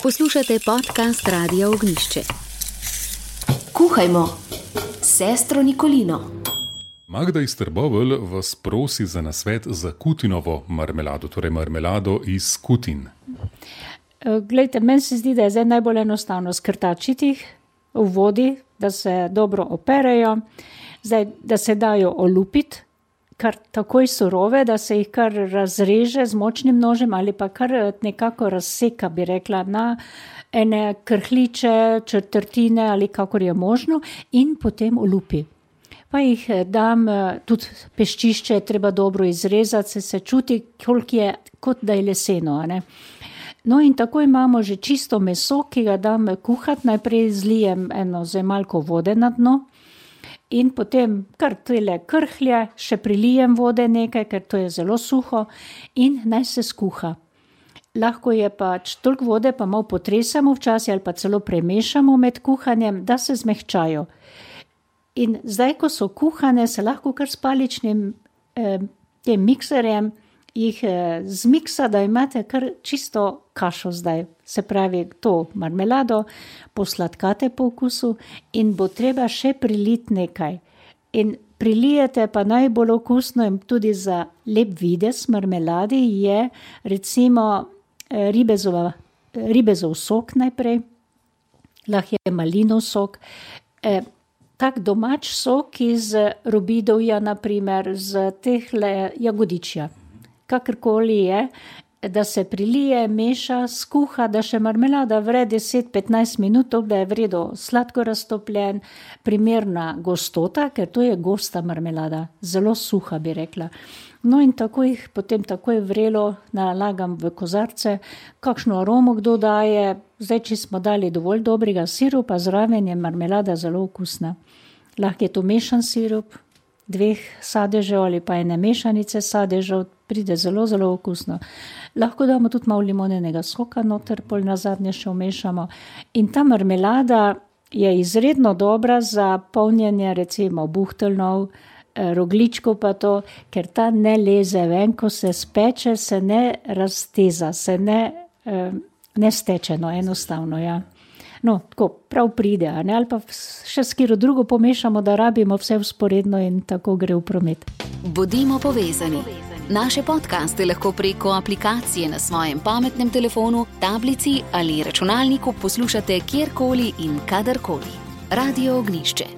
Poslušate podcast Radia Ognjišče. Kuhajmo s sestro Nikolino. Magda iz Trbovelj vas prosi za nasvet za kutinovo marmelado, torej marmelado iz kutin. Glejte, meni se zdi, da je zdaj najbolj enostavno skrtačiti jih v vodi, da se dobro operejo, zdaj, da se dajo olupiti, kar takoj surove, da se jih kar razreže z močnim nožem ali pa kar nekako razseka, bi rekla, na ene krhliče, četrtine ali kakor je možno in potem olupi. Pa jih dam, tudi peščišče je treba dobro izrezati, se čuti, koliko je, kot da je leseno, ne. No in tako imamo že čisto meso, ki ga dam kuhati, najprej zlijem eno zemalko vode na dno in potem kar tele krhlje, še prilijem vode nekaj, ker to je zelo suho in naj se skuha. Lahko je pač toliko vode, pa malo potresamo včasih ali pa celo premešamo med kuhanjem, da se zmehčajo. In zdaj, ko so kuhane, se lahko kar s paličnim tem mikserjem jih zmiksa, da imate kar čisto kašo zdaj. Se pravi, to marmelado posladkate po okusu in bo treba še priliti nekaj. In prilijete pa najbolj okusno in tudi za lep videz marmeladi je recimo ribezov sok najprej, lahko je malinov sok, tak domač sok iz robidovja, naprimer, z tehle jagodičja. Kakorkoli je, da se prilije, meša, skuha, da še marmelada vre 10-15 minut, da je v redu sladko raztopljen, primerna gostota, ker to je gosta marmelada, zelo suha, bi rekla. No in tako jih potem takoj vrelo nalagam v kozarce, kakšno aromo kdo daje, zdaj, če smo dali dovolj dobrega sirupa, zraven je marmelada zelo okusna. Lahko je to mešan sirup, 2 sadežev ali pa ene mešanice sadežev, pride zelo, zelo okusno. Lahko damo tudi malo limonenega soka noter, pol nazadnje še vmešamo. In ta marmelada je izredno dobra za polnjenje recimo buhteljnov, rogljičkov pa to, ker ta ne leze ven, ko se speče, se ne razteza, se ne steče, no enostavno, ja. No, tako prav pride, ne? Ali pa še s katero drugo pomešamo, da rabimo vse vzporedno in tako gre v promet. Bodimo povezani. Naše podcaste lahko preko aplikacije na svojem pametnem telefonu, tablici ali računalniku poslušate kjerkoli in kadarkoli. Radio Ognjišče.